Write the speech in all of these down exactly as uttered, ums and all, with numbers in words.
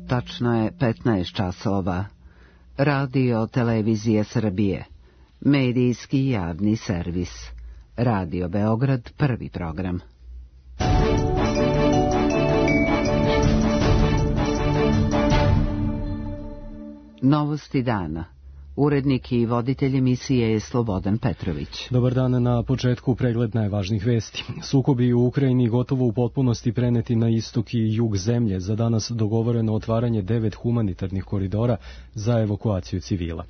Tačno je petnaest časova. Radio Televizije Srbije. Medijski javni servis. Radio Beograd, prvi program. Novosti dana. Urednik i voditelj emisije je Slobodan Petrović. Dobar dan, na početku pregled najvažnijih vesti. Sukobi u Ukrajini gotovo u potpunosti preneti na istok i jug zemlje. Za danas dogovoreno otvaranje devet humanitarnih koridora za evakuaciju civila.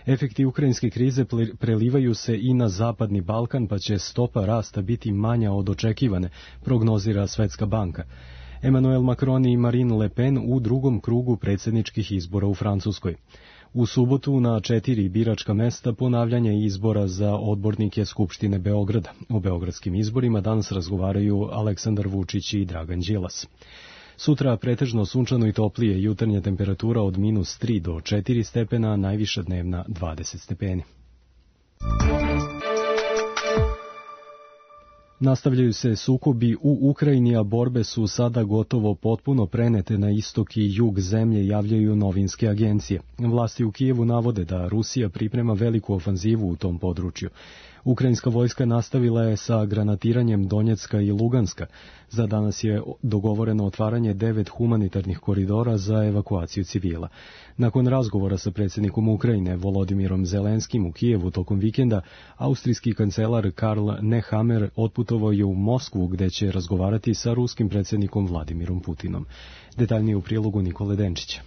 Efekti ukrajinske krize prelivaju se i na zapadni Balkan, pa će stopa rasta biti manja od očekivane, prognozira Svetska banka. Emmanuel Macron i Marine Le Pen u drugom krugu predsjedničkih izbora u Francuskoj. U subotu na četiri biračka mesta ponavljanje izbora za odbornike Skupštine Beograda. O beogradskim izborima danas razgovaraju Aleksandar Vučić i Dragan Đilas. Sutra pretežno sunčano i toplije, jutarnja temperatura od minus tri do četiri stepena, najviša dnevna dvadeset stepeni. Nastavljaju se sukobi u Ukrajini, a borbe su sada gotovo potpuno prenete na istok i jug zemlje, javljaju novinske agencije. Vlasti u Kijevu navode da Rusija priprema veliku ofanzivu u tom području. Ukrajinska vojska nastavila je sa granatiranjem Donjecka i Luganska. Za danas je dogovoreno otvaranje devet humanitarnih koridora za evakuaciju civila. Nakon razgovora sa predsjednikom Ukrajine Volodimirom Zelenskim u Kijevu tokom vikenda, austrijski kancelar Karl Nehammer otputovao je u Moskvu, gde će razgovarati sa ruskim predsjednikom Vladimirom Putinom. Detaljnije u prilogu Nikole Denčića.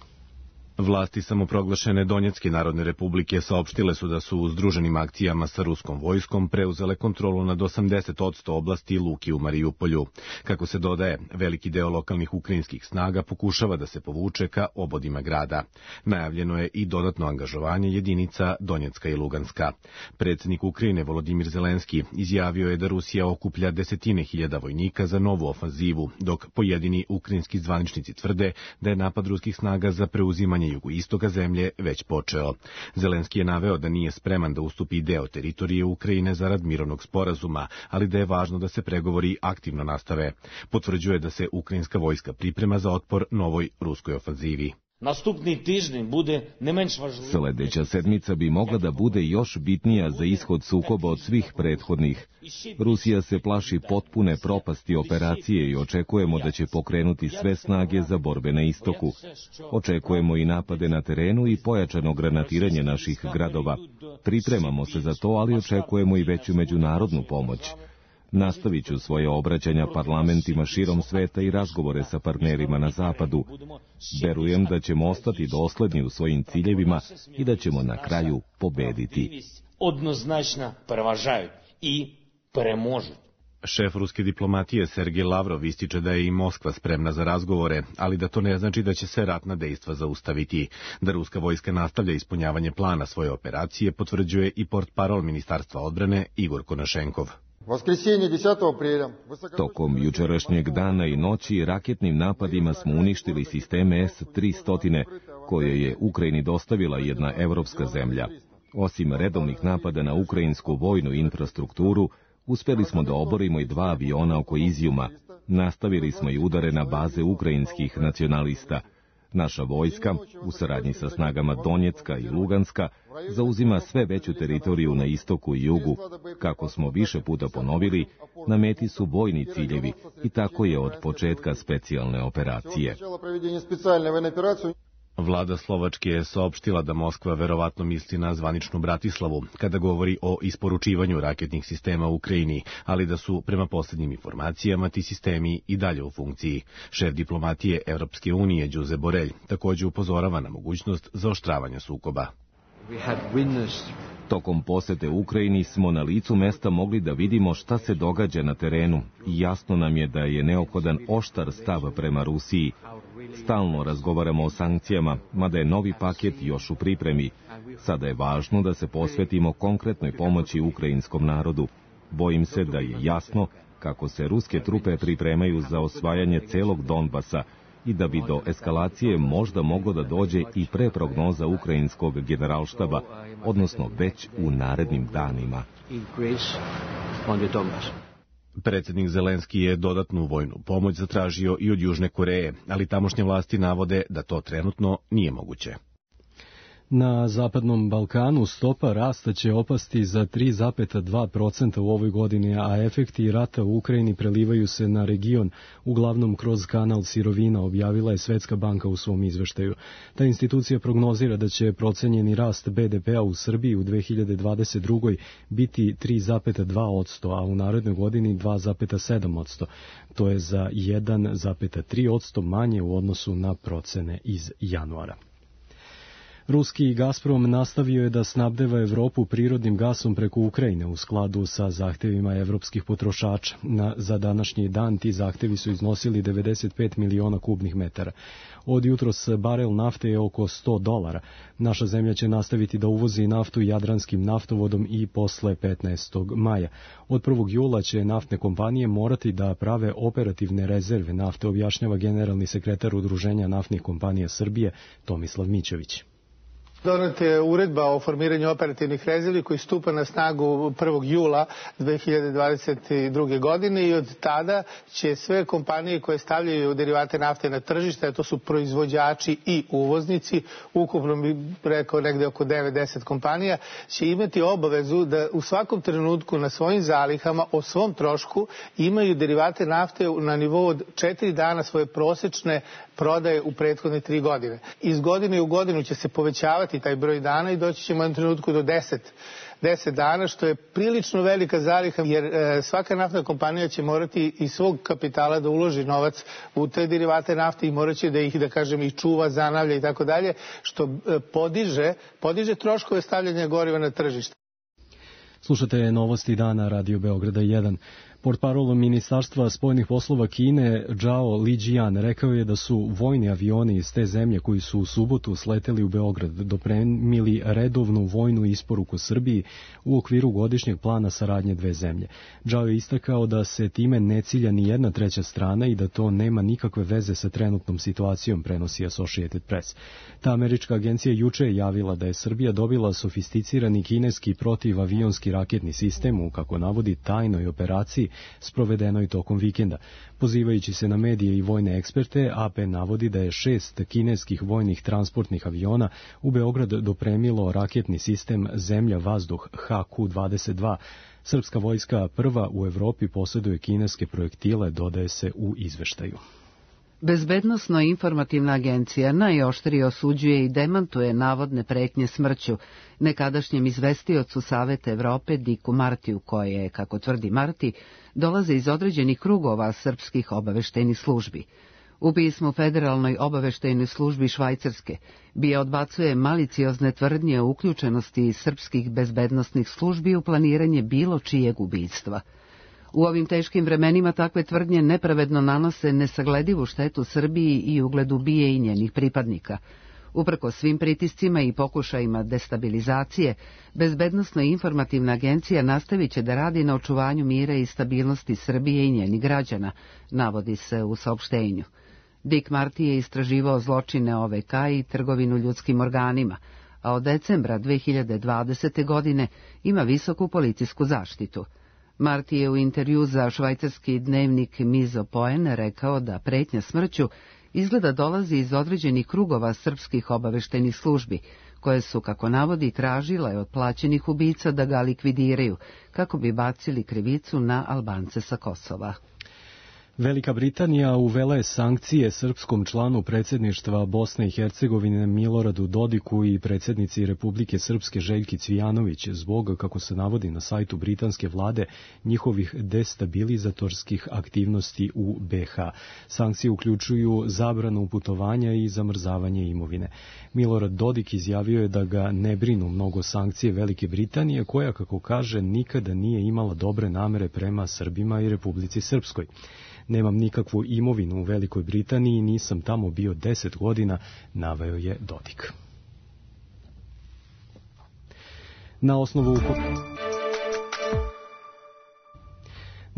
Vlasti samoproglašene Donjecke narodne republike saopštile su da su u združenim akcijama sa ruskom vojskom preuzele kontrolu nad osamdeset posto oblasti Luki u Marijupolju. Kako se dodaje, veliki deo lokalnih ukrajinskih snaga pokušava da se povuče ka obodima grada. Najavljeno je i dodatno angažovanje jedinica Donjecka i Luganska. Predsjednik Ukrajine Volodimir Zelenski izjavio je da Rusija okuplja desetine hiljada vojnika za novu ofanzivu, dok pojedini ukrajinski zvaničnici tvrde da je napad ruskih snaga za preuzimanje jugoistoka zemlje već počeo. Zelenski je naveo da nije spreman da ustupi deo teritorije Ukrajine zarad mirovnog sporazuma, ali da je važno da se pregovori aktivno nastave. Potvrđuje da se ukrajinska vojska priprema za otpor novoj ruskoj ofanzivi. Sledeća sedmica bi mogla da bude još bitnija za ishod sukoba od svih prethodnih. Rusija se plaši potpune propasti operacije i očekujemo da će pokrenuti sve snage za borbe na istoku. Očekujemo i napade na terenu i pojačano granatiranje naših gradova. Pripremamo se za to, ali očekujemo i veću međunarodnu pomoć. Nastavit ću svoje obraćanja parlamentima širom sveta i razgovore sa partnerima na zapadu. Verujem da ćemo ostati dosledni u svojim ciljevima i da ćemo na kraju pobediti. Odnoznačno prevažaju i premožu. Šef ruske diplomatije Sergej Lavrov ističe da je i Moskva spremna za razgovore, ali da to ne znači da će se ratna dejstva zaustaviti. Da ruska vojska nastavlja ispunjavanje plana svoje operacije potvrđuje i portparol Ministarstva odbrane Igor Konašenkov. Tokom jučerašnjeg dana i noći raketnim napadima smo uništili sisteme S tristo, koje je Ukrajini dostavila jedna evropska zemlja. Osim redovnih napada na ukrajinsku vojnu infrastrukturu, uspeli smo da oborimo i dva aviona oko Izjuma. Nastavili smo i udare na baze ukrajinskih nacionalista. Naša vojska, u saradnji sa snagama Donjecka i Luganska, zauzima sve veću teritoriju na istoku i jugu. Kako smo više puta ponovili, na meti su vojni ciljevi i tako je od početka specijalne operacije. Vlada Slovačke je saopštila da Moskva verovatno misli na zvaničnu Bratislavu kada govori o isporučivanju raketnih sistema u Ukrajini, ali da su prema posljednjim informacijama ti sistemi i dalje u funkciji. Šef diplomatije Evropske unije Đuze Borelj također upozorava na mogućnost zaoštravanja sukoba. Tokom posete Ukrajini smo na licu mesta mogli da vidimo šta se događa na terenu i jasno nam je da je neophodan oštar stav prema Rusiji. Stalno razgovaramo o sankcijama, mada je novi paket još u pripremi. Sada je važno da se posvetimo konkretnoj pomoći ukrajinskom narodu. Bojim se da je jasno kako se ruske trupe pripremaju za osvajanje celog Donbasa i da bi do eskalacije možda moglo da dođe i pre prognoza ukrajinskog generalštaba, odnosno već u narednim danima. Predsjednik Zelenski je dodatnu vojnu pomoć zatražio i od Južne Koreje, ali tamošnje vlasti navode da to trenutno nije moguće. Na Zapadnom Balkanu stopa rasta će opasti za tri zarez dva procenta u ovoj godini, a efekti rata u Ukrajini prelivaju se na region, uglavnom kroz kanal sirovina, objavila je Svetska banka u svom izveštaju. Ta institucija prognozira da će procenjeni rast be de pea u Srbiji u dve hiljade dvadeset drugoj biti tri zarez dva posto, a u narednoj godini dva zarez sedam posto. To je za jedan zarez tri posto manje u odnosu na procene iz januara. Ruski Gazprom nastavio je da snabdeva Evropu prirodnim gasom preko Ukrajine u skladu sa zahtevima evropskih potrošača. Na, za današnji dan ti zahtevi su iznosili devedeset pet miliona kubnih metara. Od jutros barel nafte je oko sto dolara. Naša zemlja će nastaviti da uvozi naftu jadranskim naftovodom i posle petnaestog maja. Od prvog jula će naftne kompanije morati da prave operativne rezerve nafte, objašnjava generalni sekretar Udruženja naftnih kompanija Srbije Tomislav Mićović. Doneta je uredba o formiranju operativnih rezervi koji stupa na snagu prvog jula dve hiljade dvadeset druge. godine i od tada će sve kompanije koje stavljaju derivate nafte na tržište, a to su proizvođači i uvoznici, ukupno bi rekao negde oko devet do deset kompanija, će imati obavezu da u svakom trenutku na svojim zalihama o svom trošku imaju derivate nafte na nivou od četiri dana svoje prosečne prodaje u prethodne tri godine. Iz godine u godinu će se povećavati taj broj dana i doći ćemo u jednom trenutku do deset, deset dana, što je prilično velika zaliha, jer e, svaka naftna kompanija će morati iz svog kapitala da uloži novac u te derivate nafte i morat će da ih, da kažem, i čuva, zanavlja i tako dalje, što e, podiže, podiže troškove stavljanja goriva na tržište. Slušate novosti dana Radio Beograda jedan. Portparol Ministarstva spoljnih poslova Kine Zhao Lijian rekao je da su vojni avioni iz te zemlje koji su u subotu sleteli u Beograd dopremili redovnu vojnu isporuku Srbiji u okviru godišnjeg plana saradnje dve zemlje. Zhao je istakao da se time ne cilja ni jedna treća strana i da to nema nikakve veze sa trenutnom situacijom, prenosi Associated Press. Ta američka agencija juče je javila da je Srbija dobila sofisticirani kineski protivavionski raketni sistem u, kako navodi, tajnoj operaciji sprovedenoj tokom vikenda. Pozivajući se na medije i vojne eksperte, A P navodi da je šest kineskih vojnih transportnih aviona u Beograd dopremilo raketni sistem Zemlja-vazduh H Q dvadeset dva. Srpska vojska prva u Evropi posjeduje kineske projektile, dodaje se u izveštaju. Bezbednosno-informativna agencija najoštrije osuđuje i demantuje navodne pretnje smrću nekadašnjem izvestiocu Saveta Evrope Diku Martiju, koje, kako tvrdi Marti, dolaze iz određenih krugova srpskih obaveštajnih službi. U pismu Federalnoj obaveštajnoj službi Švajcarske BIA odbacuje maliciozne tvrdnje o uključenosti srpskih bezbednosnih službi u planiranje bilo čijeg ubistva. U ovim teškim vremenima takve tvrdnje nepravedno nanose nesagledivu štetu Srbiji i ugledu BIA i njenih pripadnika. Uprkos svim pritiscima i pokušajima destabilizacije, Bezbednosno-informativna agencija nastavit će da radi na očuvanju mira i stabilnosti Srbije i njenih građana, navodi se u saopštenju. Dick Marty je istraživao zločine O V K i trgovinu ljudskim organima, a od decembra dve hiljade dvadesete. godine ima visoku policijsku zaštitu. Marti je u intervju za švajcarski dnevnik Mizo Poen rekao da pretnja smrću izgleda dolazi iz određenih krugova srpskih obaveštajnih službi, koje su, kako navodi, tražile od plaćenih ubica da ga likvidiraju, kako bi bacili krivicu na Albance sa Kosova. Velika Britanija uvela je sankcije srpskom članu predsjedništva Bosne i Hercegovine Miloradu Dodiku i predsjednici Republike Srpske Željki Cvijanović zbog, kako se navodi na sajtu britanske vlade, njihovih destabilizatorskih aktivnosti u B H. Sankcije uključuju zabranu putovanja i zamrzavanje imovine. Milorad Dodik izjavio je da ga ne brinu mnogo sankcije Velike Britanije, koja, kako kaže, nikada nije imala dobre namere prema Srbima i Republici Srpskoj. Nemam nikakvu imovinu u Velikoj Britaniji i nisam tamo bio deset godina, naveo je Dodik. Na osnovu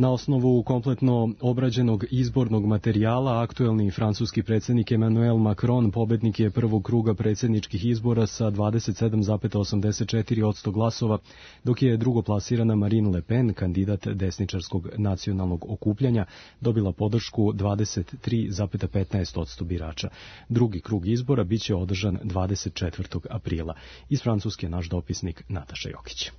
Na osnovu kompletno obrađenog izbornog materijala, aktuelni francuski predsjednik Emmanuel Macron pobednik je prvog kruga predsjedničkih izbora sa dvadeset sedam zarez osamdeset četiri posto glasova, dok je drugoplasirana Marine Le Pen, kandidat desničarskog nacionalnog okupljanja, dobila podršku dvadeset tri zarez petnaest posto birača. Drugi krug izbora biće održan dvadeset četvrtog aprila. Iz Francuske naš dopisnik Nataša Jokić.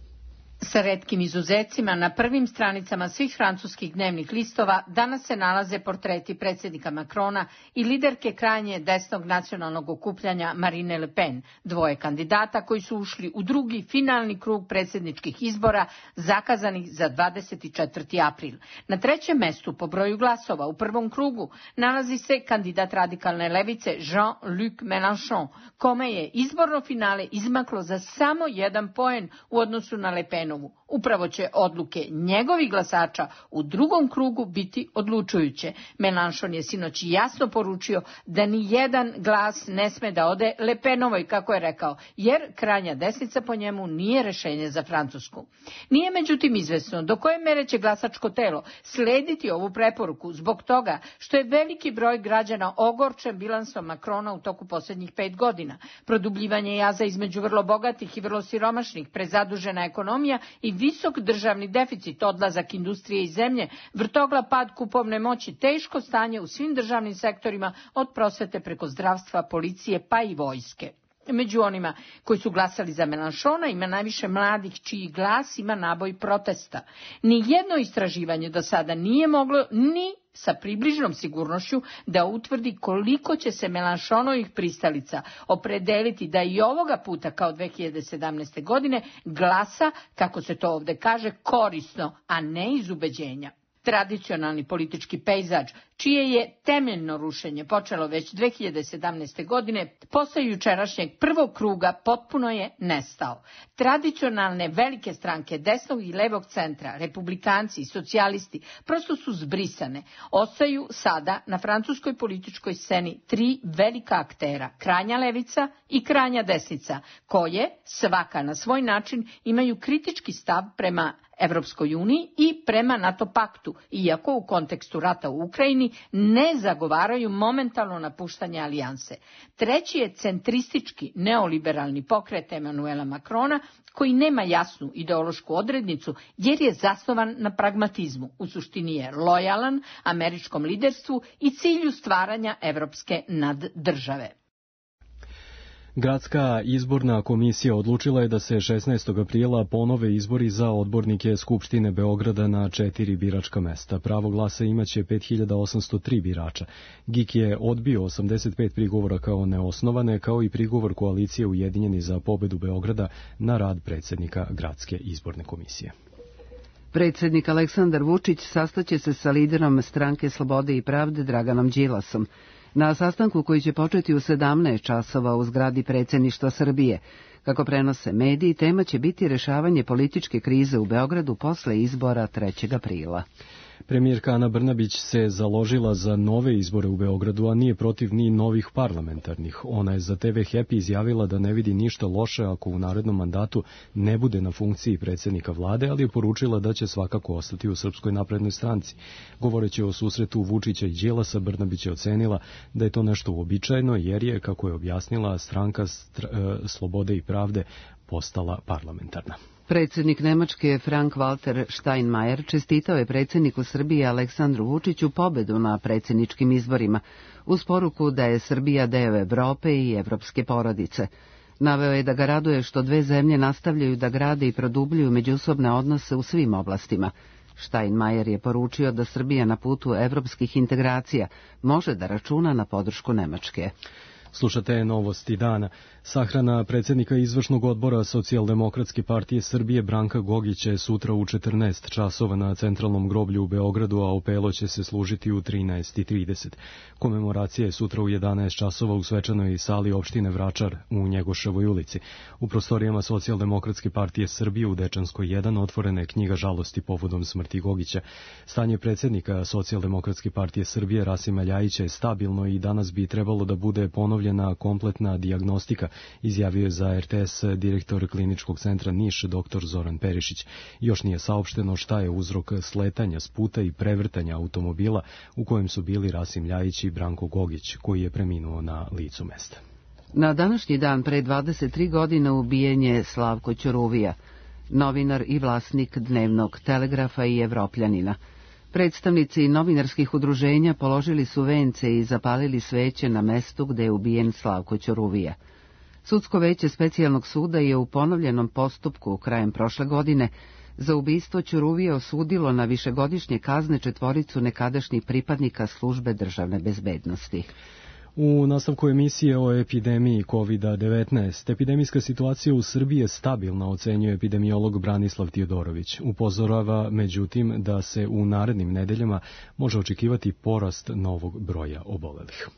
Sa retkim izuzecima na prvim stranicama svih francuskih dnevnih listova danas se nalaze portreti predsjednika Macrona i liderke krajnje desnog nacionalnog okupljanja Marine Le Pen, dvoje kandidata koji su ušli u drugi finalni krug predsjedničkih izbora zakazanih za dvadeset četvrti april. Na trećem mestu po broju glasova u prvom krugu nalazi se kandidat radikalne levice Jean-Luc Mélenchon, kome je izborno finale izmaklo za samo jedan poen u odnosu na Le Pen. Upravo će odluke njegovih glasača u drugom krugu biti odlučujuće. Mélenchon je sinoć jasno poručio da ni jedan glas ne sme da ode Le Penovoj, kako je rekao, jer krajnja desnica po njemu nije rešenje za Francusku. Nije međutim izvesno do koje mere će glasačko telo slediti ovu preporuku zbog toga što je veliki broj građana ogorčen bilansom Macrona u toku posljednjih pet godina. Produbljivanje jaza između vrlo bogatih i vrlo siromašnih, prezadužena ekonomija i visok državni deficit, odlazak industrije iz zemlje, vrtoglav pad kupovne moći, teško stanje u svim državnim sektorima od prosvete preko zdravstva, policije pa i vojske. Među onima koji su glasali za Mélenchona ima najviše mladih čiji glas ima naboj protesta. Ni jedno istraživanje do sada nije moglo ni sa približnom sigurnošću da utvrdi koliko će se Mélenchonovih pristalica opredeliti da i ovoga puta kao dve hiljade sedamnaeste. godine glasa, kako se to ovdje kaže, korisno, a ne iz ubeđenja. Tradicionalni politički pejzaž, čije je temeljno rušenje počelo već dve hiljade sedamnaeste. godine, posle jučerašnjeg prvog kruga potpuno je nestao. Tradicionalne velike stranke desnog i levog centra, republikanci i socijalisti, prosto su zbrisane. Ostaju sada na francuskoj političkoj sceni tri velika aktera, krajnja levica i krajnja desnica, koje, svaka na svoj način, imaju kritički stav prema Evropskoj uniji i prema NATO paktu, iako u kontekstu rata u Ukrajini ne zagovaraju momentalno napuštanje alijanse. Treći je centristički neoliberalni pokret Emmanuela Macrona, koji nema jasnu ideološku odrednicu jer je zasnovan na pragmatizmu. U suštini je lojalan američkom liderstvu i cilju stvaranja evropske naddržave. Gradska izborna komisija odlučila je da se šesnaestog aprila ponove izbori za odbornike Skupštine Beograda na četiri biračka mesta. Pravo glasa imaće pet hiljada osamsto tri birača. G I K je odbio osamdeset pet prigovora kao neosnovane, kao i prigovor koalicije Ujedinjeni za pobedu Beograda na rad predsjednika Gradske izborne komisije. Predsjednik Aleksandar Vučić sastaće se sa liderom Stranke slobode i pravde Draganom Đilasom. Na sastanku koji će početi u sedamnaest časova u zgradi predsjedništva Srbije. Kako prenose mediji, tema će biti rešavanje političke krize u Beogradu posle izbora trećeg aprila. Premijerka Ana Brnabić se založila za nove izbore u Beogradu, a nije protiv ni novih parlamentarnih. Ona je za te ve Happy izjavila da ne vidi ništa loše ako u narednom mandatu ne bude na funkciji predsjednika vlade, ali je poručila da će svakako ostati u Srpskoj naprednoj stranci. Govoreći o susretu Vučića i Đilasa, Brnabić je ocenila da je to nešto uobičajeno jer je, kako je objasnila, stranka str- Slobode i pravde postala parlamentarna. Predsjednik Nemačke Frank-Walter Steinmeier čestitao je predsjedniku Srbije Aleksandru Vučiću pobedu na predsjedničkim izborima, uz poruku da je Srbija deo Evrope i evropske porodice. Naveo je da ga raduje što dve zemlje nastavljaju da grade i produbljuju međusobne odnose u svim oblastima. Steinmeier je poručio da Srbija na putu evropskih integracija može da računa na podršku Nemačke. Slušate novosti dana. Sahrana predsjednika izvršnog odbora Socijaldemokratske partije Srbije Branka Gogića je sutra u četrnaest časova na centralnom groblju u Beogradu, a opelo će se služiti u trinaest i trideset. Komemoracija je sutra u jedanaest časova u svečanoj sali opštine Vračar u Njegoševoj ulici. U prostorijama Socijaldemokratske partije Srbije u Dečanskoj jedan otvorena je knjiga žalosti povodom smrti Gogića. Stanje predsjednika Socijaldemokratske partije Srbije Rasima Ljajića je stabilno i danas bi trebalo da bude ponovljeno obavljena kompletna dijagnostika, izjavio je za R T S direktor kliničkog centra Niš dr. Zoran Perišić. Još nije saopšteno šta je uzrok sletanja s puta i prevrtanja automobila u kojem su bili Rasim Ljajić i Branko Gogić, koji je preminuo na licu mesta. Na današnji dan pre dvadeset tri godine ubijen je Slavko Ćuruvija, novinar i vlasnik Dnevnog Telegrafa i Evropljanina. Predstavnici novinarskih udruženja položili su vence i zapalili sveće na mestu gde je ubijen Slavko Ćuruvija. Sudsko veće specijalnog suda je u ponovljenom postupku krajem prošle godine za ubistvo Ćuruvija osudilo na višegodišnje kazne četvoricu nekadašnjih pripadnika službe državne bezbednosti. U nastavku emisije o epidemiji kovid devetnaest, epidemijska situacija u Srbiji je stabilna, ocenjuje epidemiolog Branislav Tijodorović. Upozorava, međutim, da se u narednim nedeljama može očekivati porast novog broja obolelih.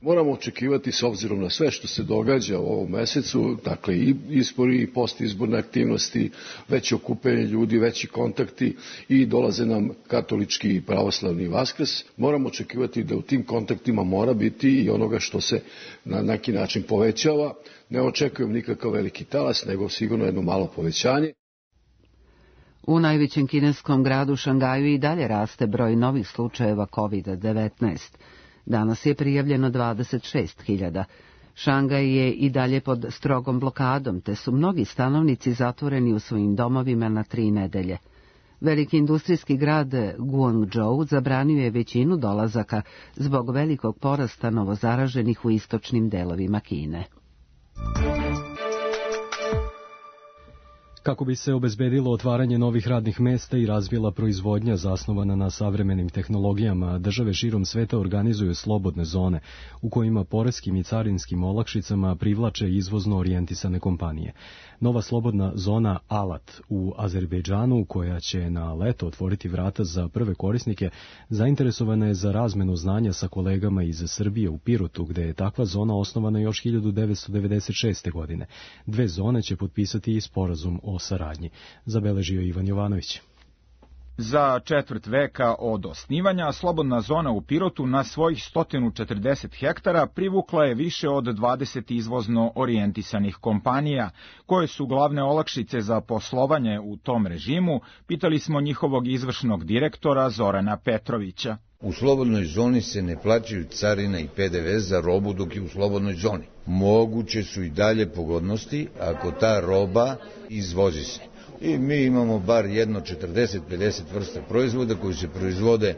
Moramo očekivati, s obzirom na sve što se događa u ovom mesecu, dakle i izbori i postizborne aktivnosti, veće okupljanje ljudi, veći kontakti i dolaze nam katolički i pravoslavni Vaskrs, moramo očekivati da u tim kontaktima mora biti i onoga što se na neki način povećava. Ne očekujem nikakav veliki talas, nego sigurno jedno malo povećanje. U najvećem kineskom gradu Šangaju i dalje raste broj novih slučajeva kovid devetnaest. Danas je prijavljeno dvadeset šest hiljada. Šangaj je i dalje pod strogom blokadom, te su mnogi stanovnici zatvoreni u svojim domovima na tri nedelje. Veliki industrijski grad Guangzhou zabranio je većinu dolazaka zbog velikog porasta novozaraženih u istočnim delovima Kine. Kako bi se obezbedilo otvaranje novih radnih mesta i razvila proizvodnja zasnovana na savremenim tehnologijama, države širom sveta organizuju slobodne zone, u kojima poreskim i carinskim olakšicama privlače izvozno orijentisane kompanije. Nova slobodna zona Alat u Azerbejdžanu, koja će na leto otvoriti vrata za prve korisnike, zainteresovana je za razmenu znanja sa kolegama iz Srbije u Pirotu, gde je takva zona osnovana još hiljadu devetsto devedeset šeste. godine. Dve zone će potpisati i sporazum o saradnji, zabeležio Ivan Jovanović. Za četvrt veka od osnivanja, slobodna zona u Pirotu na svojih sto četrdeset hektara privukla je više od dvadeset izvozno orijentisanih kompanija, koje su glavne olakšice za poslovanje u tom režimu, pitali smo njihovog izvršnog direktora Zorana Petrovića. U slobodnoj zoni se ne plaćaju carina i P D V za robu dok je u slobodnoj zoni. Moguće su i dalje pogodnosti ako ta roba izvozi se. I mi imamo bar jedno četrdeset do pedeset vrsta proizvoda koji se proizvode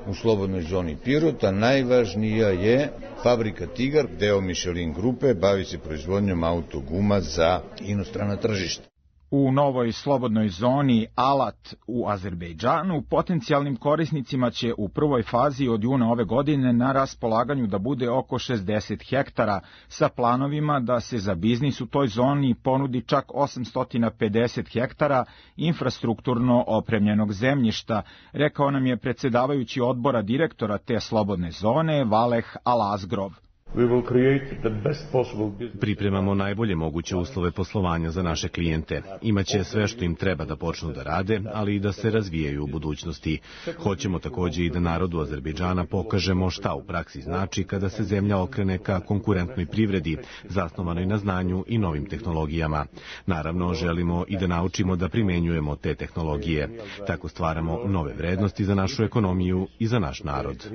u slobodnoj zoni Pirota. Najvažnija je fabrika Tigar, deo Michelin grupe, bavi se proizvodnjom autoguma za inostrana tržišta. U novoj slobodnoj zoni Alat u Azerbejdžanu potencijalnim korisnicima će u prvoj fazi od juna ove godine na raspolaganju da bude oko šezdeset hektara, sa planovima da se za biznis u toj zoni ponudi čak osamsto pedeset hektara infrastrukturno opremljenog zemljišta, rekao nam je predsedavajući odbora direktora te slobodne zone Valeh Alazgrov. Pripremamo najbolje moguće uslove poslovanja za naše klijente. Imaće sve što im treba da počnu da rade, ali i da se razvijaju u budućnosti. Hoćemo takođe i da narodu Azerbejdžana pokažemo šta u praksi znači kada se zemlja okrene ka konkurentnoj privredi, zasnovanoj na znanju i novim tehnologijama. Naravno, želimo i da naučimo da primenjujemo te tehnologije. Tako stvaramo nove vrednosti za našu ekonomiju i za naš narod.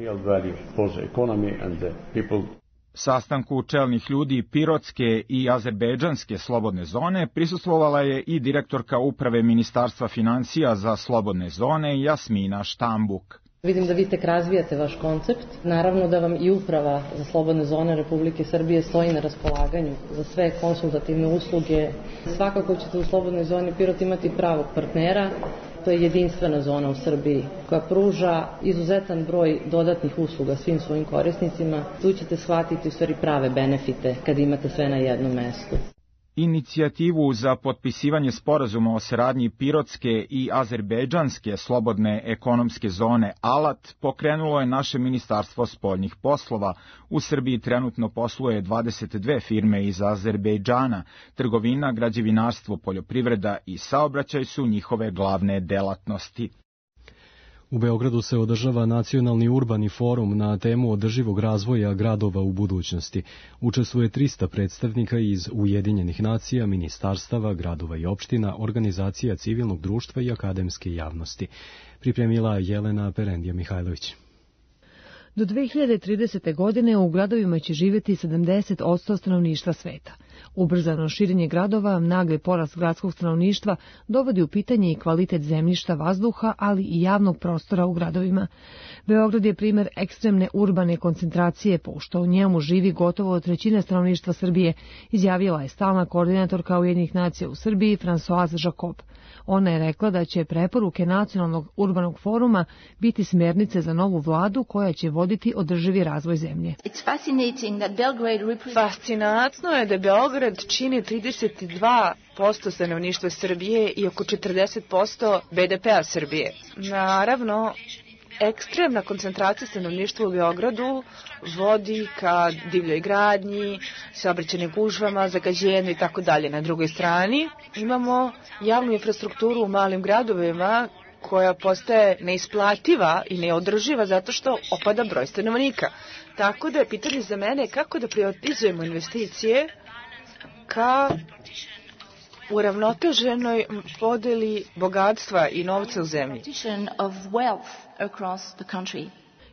Sastanku čelnih ljudi Pirotske i Azerbejdžanske slobodne zone prisustvovala je i direktorka uprave Ministarstva financija za slobodne zone Jasmina Štambuk. Vidim da vi tek razvijate vaš koncept. Naravno da vam i uprava za slobodne zone Republike Srbije stoji na raspolaganju za sve konsultativne usluge. Svakako ćete u slobodnoj zoni Pirot imati pravog partnera. To je jedinstvena zona u Srbiji koja pruža izuzetan broj dodatnih usluga svim svojim korisnicima. Tu ćete shvatiti u stvari prave benefite kad imate sve na jednom mestu. Inicijativu za potpisivanje sporazuma o saradnji Pirotske i Azerbejdžanske slobodne ekonomske zone Alat pokrenulo je naše Ministarstvo spoljnih poslova. U Srbiji trenutno posluje dvadeset dve firme iz Azerbejdžana. Trgovina, građevinarstvo, poljoprivreda i saobraćaj su njihove glavne delatnosti. U Beogradu se održava Nacionalni urbani forum na temu održivog razvoja gradova u budućnosti. Učestvuje trista predstavnika iz Ujedinjenih nacija, ministarstava, gradova i opština, organizacija civilnog društva i akademske javnosti. Pripremila Jelena Perendija Mihajlović. Do dve hiljade tridesete. godine u gradovima će živjeti sedamdeset posto stanovništva sveta. Ubrzano širenje gradova, nagli porast gradskog stanovništva dovodi u pitanje i kvalitet zemljišta, vazduha, ali i javnog prostora u gradovima. Beograd je primjer ekstremne urbane koncentracije, pošto u njemu živi gotovo trećina stanovništva Srbije, izjavila je stalna koordinatorka Ujedinjenih nacija u Srbiji Françoise Jacob. Ona je rekla da će preporuke Nacionalnog urbanog foruma biti smjernice za novu vladu koja će voditi održivi razvoj zemlje. Fascinantno je da Beograd čini trideset dva posto stanovništva Srbije i oko četrdeset posto be de pea Srbije. Naravno, ekstremna koncentracija stanovništva u Beogradu vodi ka divljoj gradnji, saobraćajnim gužvama, zagađenju i tako dalje. Na drugoj strani imamo javnu infrastrukturu u malim gradovima koja postaje neisplativa i neodrživa zato što opada broj stanovnika. Tako da je pitanje za mene kako da prioritizujemo investicije ka uravnoteženoj podeli bogatstva i novca u zemlji.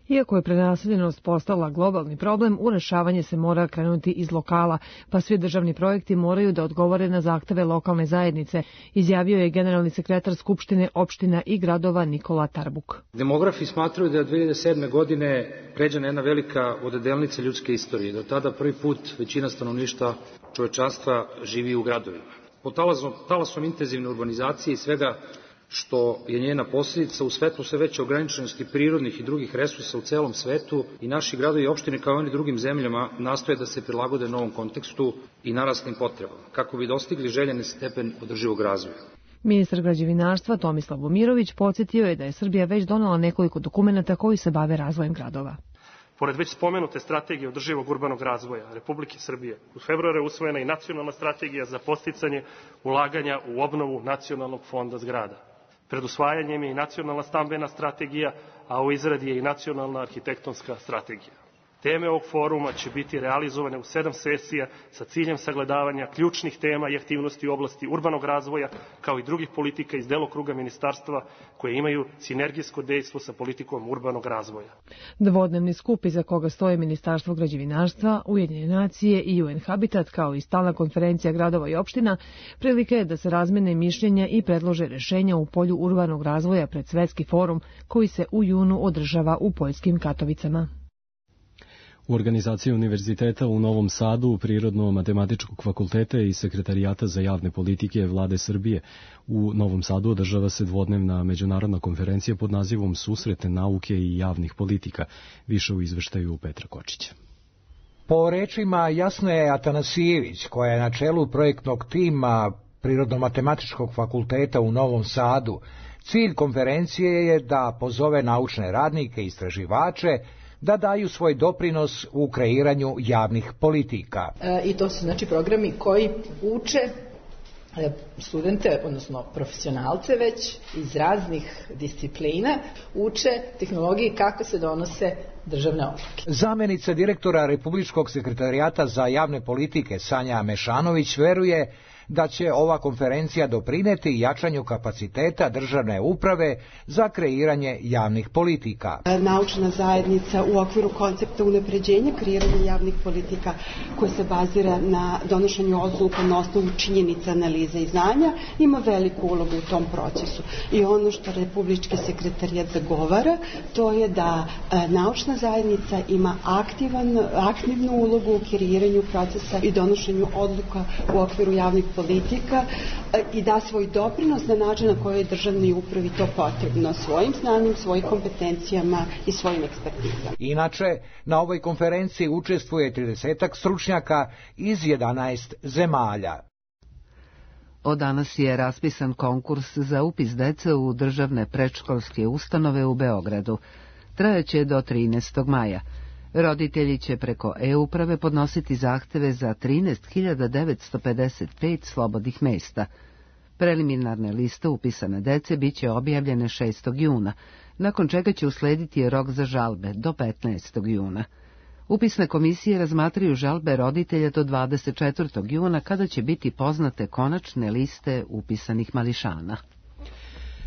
Iako je prenaseljenost postala globalni problem, u rešavanje se mora krenuti iz lokala, pa svi državni projekti moraju da odgovore na zahteve lokalne zajednice, izjavio je generalni sekretar Skupštine opština i gradova Nikola Tarbuk. Demografi smatraju da je od dve hiljade sedme. godine pređena jedna velika odedelnica ljudske istorije. Do tada prvi put većina stanovništva čovečanstva živi u gradovima. Pod talasom, talasom intenzivne urbanizacije i svega što je njena posljedica, u svetlu sve veće ograničenosti prirodnih i drugih resursa u celom svetu i naši gradovi i opštine kao i oni drugim zemljama nastoje da se prilagode novom kontekstu i naraslim potrebama, kako bi dostigli željeni stepen održivog razvoja. Ministar građevinarstva Tomislav Momirović podsjetio je da je Srbija već donela nekoliko dokumenata koji se bave razvojem gradova. Pored već spomenute strategije održivog urbanog razvoja Republike Srbije, u februaru je usvojena i nacionalna strategija za podsticanje ulaganja u obnovu nacionalnog fonda zgrada. Pred usvajanjem je i nacionalna stambena strategija, a u izradi je i nacionalna arhitektonska strategija. Teme ovog foruma će biti realizovane u sedam sesija sa ciljem sagledavanja ključnih tema i aktivnosti u oblasti urbanog razvoja, kao i drugih politika iz delokruga ministarstva koje imaju sinergijsko dejstvo sa politikom urbanog razvoja. Dvodnevni skup iza koga stoje Ministarstvo građevinarstva, Ujedinjene nacije i U N Habitat, kao i stalna konferencija gradova i opština, prilike je da se razmene mišljenja i predlože rešenja u polju urbanog razvoja pred Svetski forum koji se u junu održava u poljskim Katovicama. U organizaciji Univerziteta u Novom Sadu, Prirodno-matematičkog fakulteta i Sekretarijata za javne politike Vlade Srbije u Novom Sadu održava se dvodnevna međunarodna konferencija pod nazivom Susrete nauke i javnih politika. Više u izveštaju Petra Kočića. Po rečima Jasne Atanasijević, koja je na čelu projektnog tima Prirodno-matematičkog fakulteta u Novom Sadu, cilj konferencije je da pozove naučne radnike i istraživače da daju svoj doprinos u kreiranju javnih politika. E, I to su znači programi koji uče studente, odnosno profesionalce već iz raznih disciplina, uče tehnologiji kako se donose državne odluke. Zamenica direktora Republičkog sekretarijata za javne politike Sanja Mešanović veruje da će ova konferencija doprineti jačanju kapaciteta državne uprave za kreiranje javnih politika. Naučna zajednica u okviru koncepta unapređenja kreiranja javnih politika koja se bazira na donošenju odluka na osnovu činjenica, analize i znanja ima veliku ulogu u tom procesu. I ono što Republički sekretarijat zagovara, to je da naučna zajednica ima aktivan, aktivnu ulogu u kreiranju procesa i donošenju odluka u okviru javnih politika i da svoj doprinos na način na koji je državnoj upravi to potrebno, svojim znanjem, svojim kompetencijama i svojim ekspertizama. Inače, na ovoj konferenciji učestvuje tridesetak stručnjaka iz jedanaest zemalja. Od danas je raspisan konkurs za upis dece u državne predškolske ustanove u Beogradu. Trajaće do trinaestog maja. Roditelji će preko e-uprave podnositi zahteve za trinaest hiljada devetsto pedeset pet slobodnih mesta. Preliminarne liste upisane dece biće objavljene šestog juna. nakon čega će uslediti rok za žalbe do petnaestog juna. Upisne komisije razmatraju žalbe roditelja do dvadeset četvrtog juna, kada će biti poznate konačne liste upisanih mališana.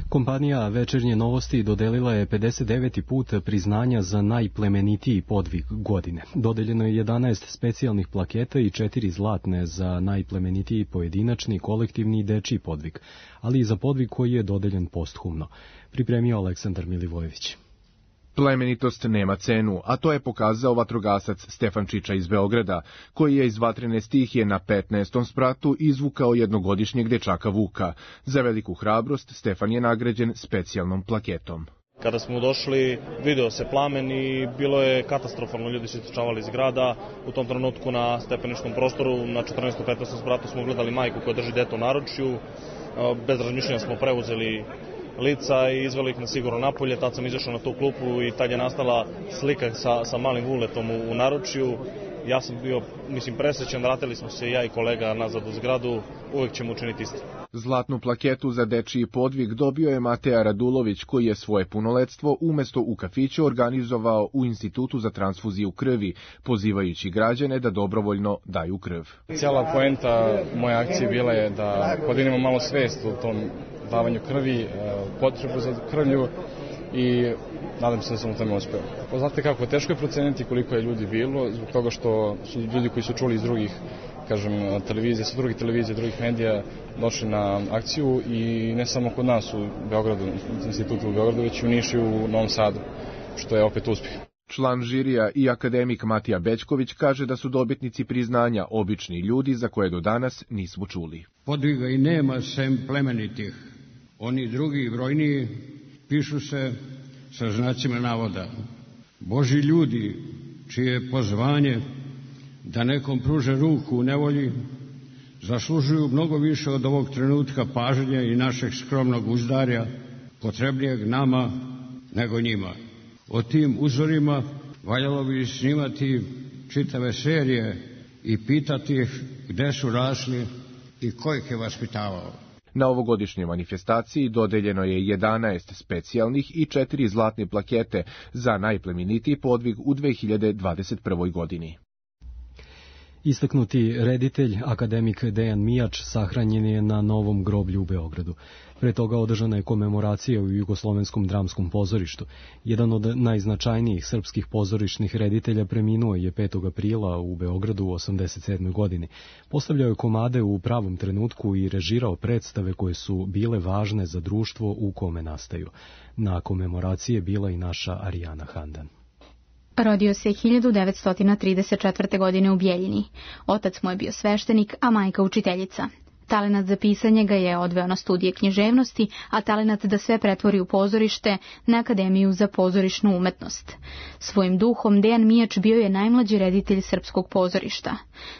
Kompanija Večernje novosti dodelila je pedeset deveti put priznanja za najplemenitiji podvig godine. Dodeljeno je jedanaest specijalnih plaketa i četiri zlatne za najplemenitiji pojedinačni, kolektivni i dečiji podvig, ali i za podvig koji je dodeljen posthumno. Pripremio Aleksandar Milivojević. Plemenitost nema cenu, a to je pokazao vatrogasac Stefan Čiča iz Beograda, koji je iz vatrene stihije na petnaestom spratu izvukao jednogodišnjeg dečaka Vuka. Za veliku hrabrost Stefan je nagrađen specijalnom plaketom. Kada smo došli, video se plamen i bilo je katastrofalno, ljudi su istrčavali iz grada. U tom trenutku na stepeničkom prostoru, na četrnaestom petnaestom spratu smo gledali majku koja drži dete u naručju. Bez razmišljanja smo preuzeli lica i izveli ih na sigurno napolje. Tad sam izašao na tu klupu i tad je nastala slika sa, sa malim Vuletom u, u naručju. Ja sam bio, mislim, presrećan, vratili smo se ja i kolega nazad u zgradu, uvek ćemo učiniti isto. Zlatnu plaketu za dečiji podvig dobio je Mateja Radulović, koji je svoje punoletstvo umesto u kafiću organizovao u Institutu za transfuziju krvi, pozivajući građane da dobrovoljno daju krv. Cijela poenta moje akcije bila je da podignemo malo svest o tom davanju krvi, potrebu za krvlju i nadam se da sam u tome uspeo. Znate kako, teško je proceniti koliko je ljudi bilo, zbog toga što su ljudi koji su čuli iz drugih, kažem, televizije, sa drugih televizija, drugih medija, došli na akciju i ne samo kod nas u Beogradu, u institutu u Beogradu, već i u Nišu i u Novom Sadu, što je opet uspjeh. Član žirija i akademik Matija Bećković kaže da su dobitnici priznanja obični ljudi za koje do danas nismo čuli. Podviga i nema sem plemenitih. Oni drugi brojniji pišu se sa znacima navoda. Božji ljudi, čije je pozvanje da nekom pruže ruku u nevolji, zaslužuju mnogo više od ovog trenutka pažnje i našeg skromnog uzdarja, potrebnijeg nama nego njima. O tim uzorima valjalo bi snimati čitave serije i pitati ih gde su rasli i ko ih je vaspitavao. Na ovogodišnjoj manifestaciji dodeljeno je jedanaest specijalnih i četiri zlatne plakete za najplemenitiji podvig u dve hiljade dvadeset prvoj. godini. Istaknuti reditelj, akademik Dejan Mijač, sahranjen je na Novom groblju u Beogradu. Pre toga održana je komemoracija u Jugoslovenskom dramskom pozorištu. Jedan od najznačajnijih srpskih pozorišnih reditelja preminuo je petog aprila u Beogradu u osamdeset sedmoj. godini. Postavljao je komade u pravom trenutku i režirao predstave koje su bile važne za društvo u kome nastaju. Na komemoraciji je bila i naša Arijana Handan. Rodio se hiljadu devetsto trideset četvrte. godine u Bjeljini. Otac mu je bio sveštenik, a majka učiteljica. Talenat za pisanje ga je odveo na studije književnosti, a talenat da sve pretvori u pozorište na Akademiju za pozorišnu umetnost. Svojim duhom Dejan Mijač bio je najmlađi reditelj srpskog pozorišta.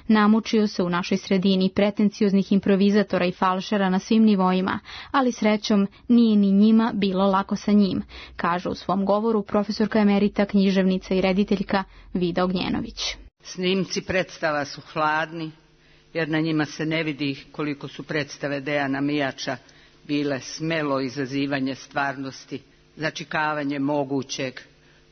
Namučio se u našoj sredini pretencioznih improvizatora i falšera na svim nivoima, ali srećom nije ni njima bilo lako sa njim, kaže u svom govoru profesorka emerita, književnica i rediteljka Vida Ognjenović. Snimci predstava su hladni, jer na njima se ne vidi koliko su predstave Dejana Mijača bile smelo izazivanje stvarnosti, začikavanje mogućeg,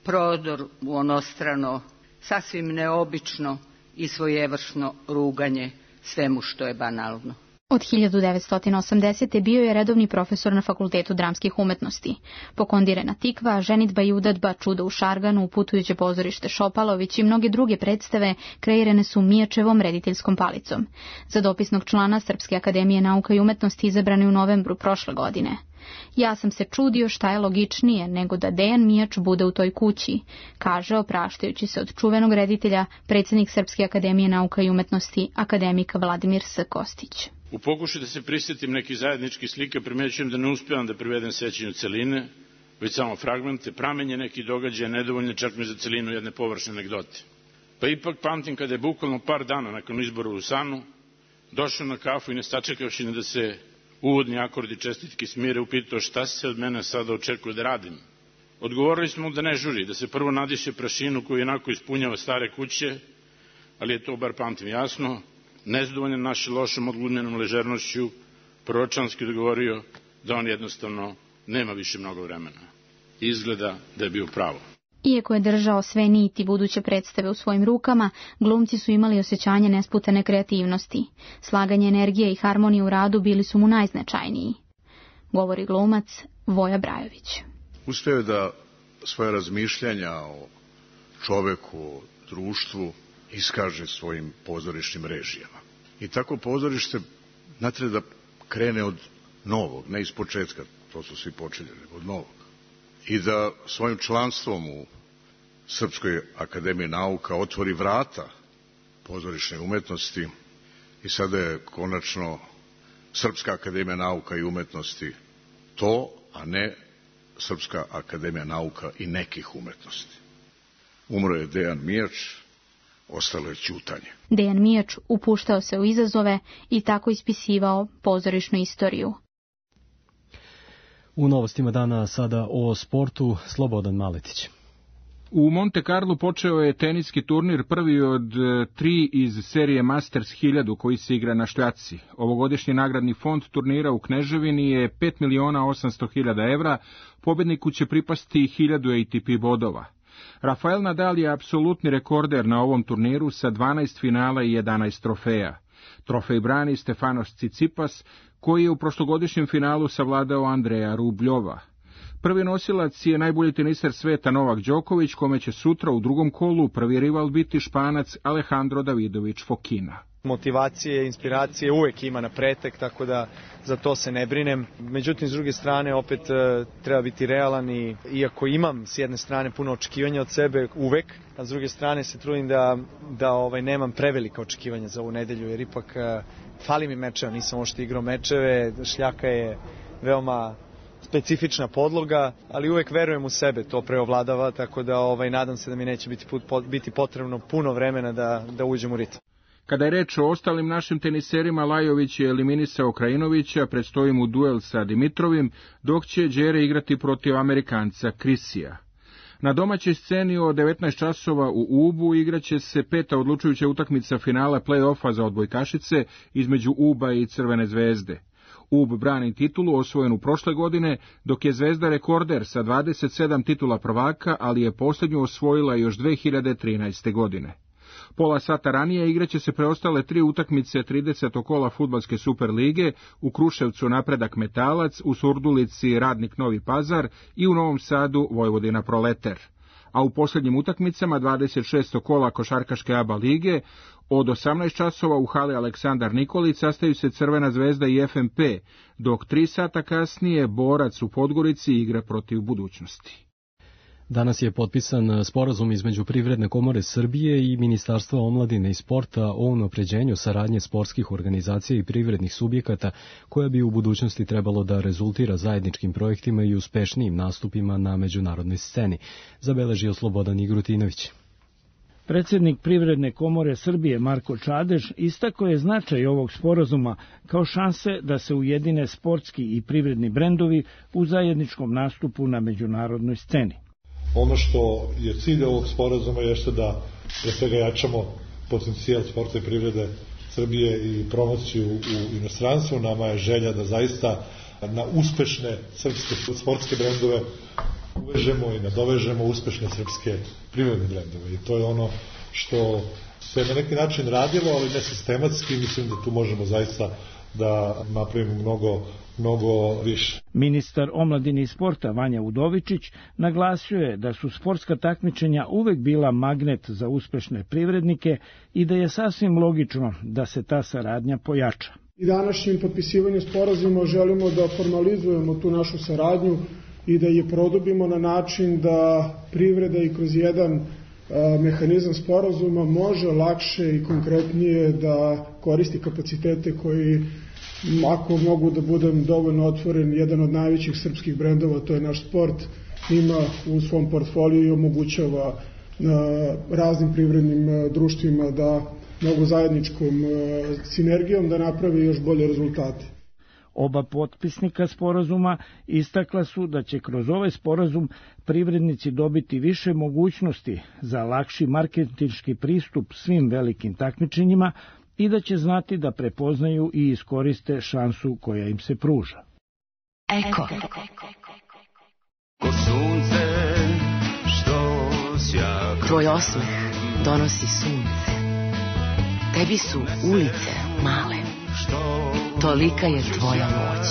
prodor u onostrano, sasvim neobično i svojevršno ruganje svemu što je banalno. Od hiljadu devetsto osamdesete. bio je redovni profesor na Fakultetu dramskih umetnosti. Pokondirena Tikva, Ženitba i udadba, Čudo u Šarganu, Putujuće pozorište Šopalović i mnoge druge predstave kreirane su Mijačevom rediteljskom palicom. Za dopisnog člana Srpske akademije nauka i umetnosti izabrani u novembru prošle godine. Ja sam se čudio šta je logičnije nego da Dejan Mijač bude u toj kući, kaže, opraštajući se od čuvenog reditelja, predsjednik Srpske akademije nauka i umetnosti, akademik Vladimir S. Kostić. U pokušaju da se prisjetim nekih zajedničkih slika, primećujem da ne uspevam da privedem sećanju celine, već samo fragmente, pramenje nekih događaja, nedovoljne čak mi za celinu jedne površne anegdote. Pa ipak pamtim kada je bukvalno par dana nakon izbora u Sanu došao na kafu i ne sačekavši da se uvodni akordi čestitke smire, upitao šta se od mene sada očekuje da radim. Odgovorili smo da ne žuri, da se prvo nadiše prašinu koju jednako ispunjava stare kuće, ali je to, bar pamtim jasno, nezadovoljan naše lošom odglumljenom ležernošću, proročanski odgovorio da on jednostavno nema više mnogo vremena. izgleda da je bio pravo. Iako je držao sve niti buduće predstave u svojim rukama, glumci su imali osjećanje nesputane kreativnosti. Slaganje energije i harmonije u radu bili su mu najznačajniji. Govori glumac Voja Brajović. Uspeo je da svoje razmišljanja o čoveku, o društvu iskaže svojim pozorišnim režijama. I tako pozorište ne treba da krene od novog, ne iz početka, to su svi počeli, nego od novog. I da svojim članstvom u Srpskoj akademiji nauka otvori vrata pozorišne umetnosti i sada je konačno Srpska akademija nauka i umetnosti to, a ne Srpska akademija nauka i nekih umetnosti. Umro je Dejan Mijač, ostalo je ćutanje. Dejan Mijač upuštao se u izazove i tako ispisivao pozorišnu istoriju. U novostima dana sada o sportu, Slobodan Maletić. U Monte Carlo počeo je teniski turnir, prvi od tri iz serije Masters hiljadu koji se igra na šljaci. Ovogodišnji nagradni fond turnira u Kneževini je pet miliona osamsto hiljada evra, pobedniku će pripasti hiljadu A T P bodova. Rafael Nadal je apsolutni rekorder na ovom turniru sa dvanaest finala i jedanaest trofeja. Trofej brani Stefanos Tsitsipas, koji je u prošlogodišnjem finalu savladao Andreja Rubljova. Prvi nosilac je najbolji teniser sveta Novak Đoković, kome će sutra u drugom kolu prvi rival biti Španac Alejandro Davidović Fokina. Motivacije, inspiracije uvek ima na pretek, tako da za to se ne brinem. Međutim, s druge strane, opet treba biti realan i iako imam s jedne strane puno očekivanja od sebe uvek, a s druge strane se trudim da, da ovaj, nemam prevelika očekivanja za ovu nedelju, jer ipak fali mi mečeva, nisam ošte igrao mečeve, šljaka je veoma specifična podloga, ali uvek verujem u sebe, to preovladava, tako da ovaj, nadam se da mi neće biti, put, biti potrebno puno vremena da, da uđem u ritam. Kada je reč o ostalim našim teniserima, Lajović je eliminisao Krajinovića, predstoji mu duel sa Dimitrovim, dok će Đere igrati protiv Amerikanca Krisija. Na domaćoj sceni od devetnaest časova u Ubu igraće se peta odlučujuća utakmica finala play-offa za odbojkašice između Uba i Crvene zvezde. Ub brani titulu osvojenu prošle godine, dok je Zvezda rekorder sa dvadeset sedam titula prvaka, ali je posljednju osvojila još dve hiljade trinaeste. godine. Pola sata ranije igraće se preostale tri utakmice tridesetog kola fudbalske Superlige, u Kruševcu Napredak Metalac, u Surdulici Radnik Novi Pazar i u Novom Sadu Vojvodina Proleter. A u posljednjim utakmicama dvadeset šestog kola košarkaške A B A lige od osamnaest časova u hali Aleksandar Nikolić sastaju se Crvena zvezda i F M P, dok tri sata kasnije Borac u Podgorici igra protiv Budućnosti. Danas je potpisan sporazum između Privredne komore Srbije i Ministarstva omladine i sporta o unapređenju saradnje sportskih organizacija i privrednih subjekata, koja bi u budućnosti trebalo da rezultira zajedničkim projektima i uspešnijim nastupima na međunarodnoj sceni, zabeležio Slobodan Igrutinović. Predsjednik Privredne komore Srbije Marko Čadež istakao je značaj ovog sporazuma kao šanse da se ujedine sportski i privredni brendovi u zajedničkom nastupu na međunarodnoj sceni. Ono što je cilj ovog sporazuma jeste da pre svega jačamo potencijal sporta i privrede Srbije i promociju u inostranstvu. Nama je želja da zaista na uspešne srpske sportske brendove uvežemo i nadovežemo uspešne srpske privredne brendove. I to je ono što se na neki način radilo, ali ne sistematski. Mislim da tu možemo zaista da napravimo mnogo mnogo više. Ministar omladine i sporta Vanja Udovičić naglasio je da su sportska takmičenja uvek bila magnet za uspešne privrednike i da je sasvim logično da se ta saradnja pojača. I današnjim potpisivanjem sporazuma želimo da formalizujemo tu našu saradnju i da je produbimo na način da privreda i kroz jedan a, mehanizam sporazuma može lakše i konkretnije da koristi kapacitete koji, ako mogu da budem dovoljno otvoren, jedan od najvećih srpskih brendova, to je naš sport, ima u svom portfoliju i omogućava raznim privrednim društvima da mogu zajedničkom sinergijom da napravi još bolje rezultate. Oba potpisnika sporazuma istakla su da će kroz ovaj sporazum privrednici dobiti više mogućnosti za lakši marketinški pristup svim velikim takmičenjima i da će znati da prepoznaju i iskoriste šansu koja im se pruža. Eko. Ko sunce Tvoj osmeh donosi sunce. Tebi su ulice male. Tolika je tvoja moć.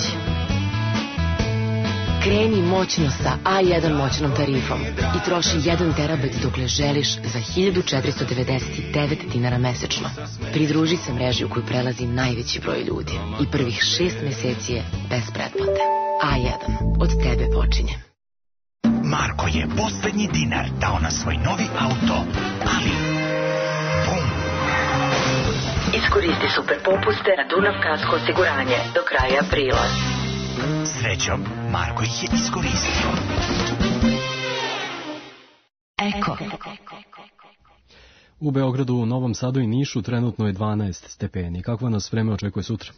Kreni moćno sa A jedan moćnom tarifom i troši jedan terabajt dokle želiš za hiljadu četiristo devedeset devet dinara mesečno. Pridruži se mreži u koju prelazi najveći broj ljudi i prvih šest meseci je bez pretplate. A jedan. Od tebe počinje. Marko je poslednji dinar dao na svoj novi auto, ali... Bum! Iskoristi super popuste na Dunav Kasko osiguranje do kraja aprila. Srećom, Marko ih je iskoristio. Eko. U Beogradu, Novom Sadu i Nišu trenutno je dvanaest stepeni. Kakvo nas vreme očekuje sutra?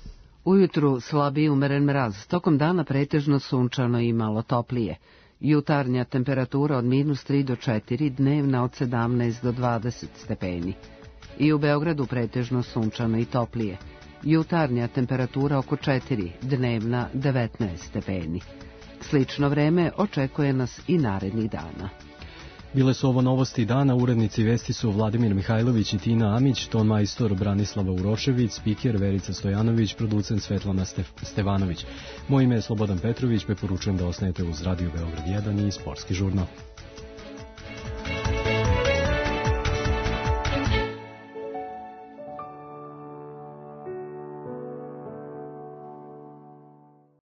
Ujutru slabiji umeren mraz, tokom dana pretežno sunčano i malo toplije. Jutarnja temperatura od minus tri do četiri, dnevna od sedamnaest do dvadeset stepeni. I u Beogradu pretežno sunčano i toplije. Jutarnja temperatura oko četiri, dnevna devetnaest stepeni. Slično vreme očekuje nas i narednih dana. Bile su ovo novosti dana, urednici vesti su Vladimir Mihajlović i Tina Amić, ton majstor Branislava Urošević, spiker Verica Stojanović, producent Svetlana Stef Stevanović. Moje ime je Slobodan Petrović, preporučujem da ostanete uz Radio Beograd jedan i Sportski žurnal.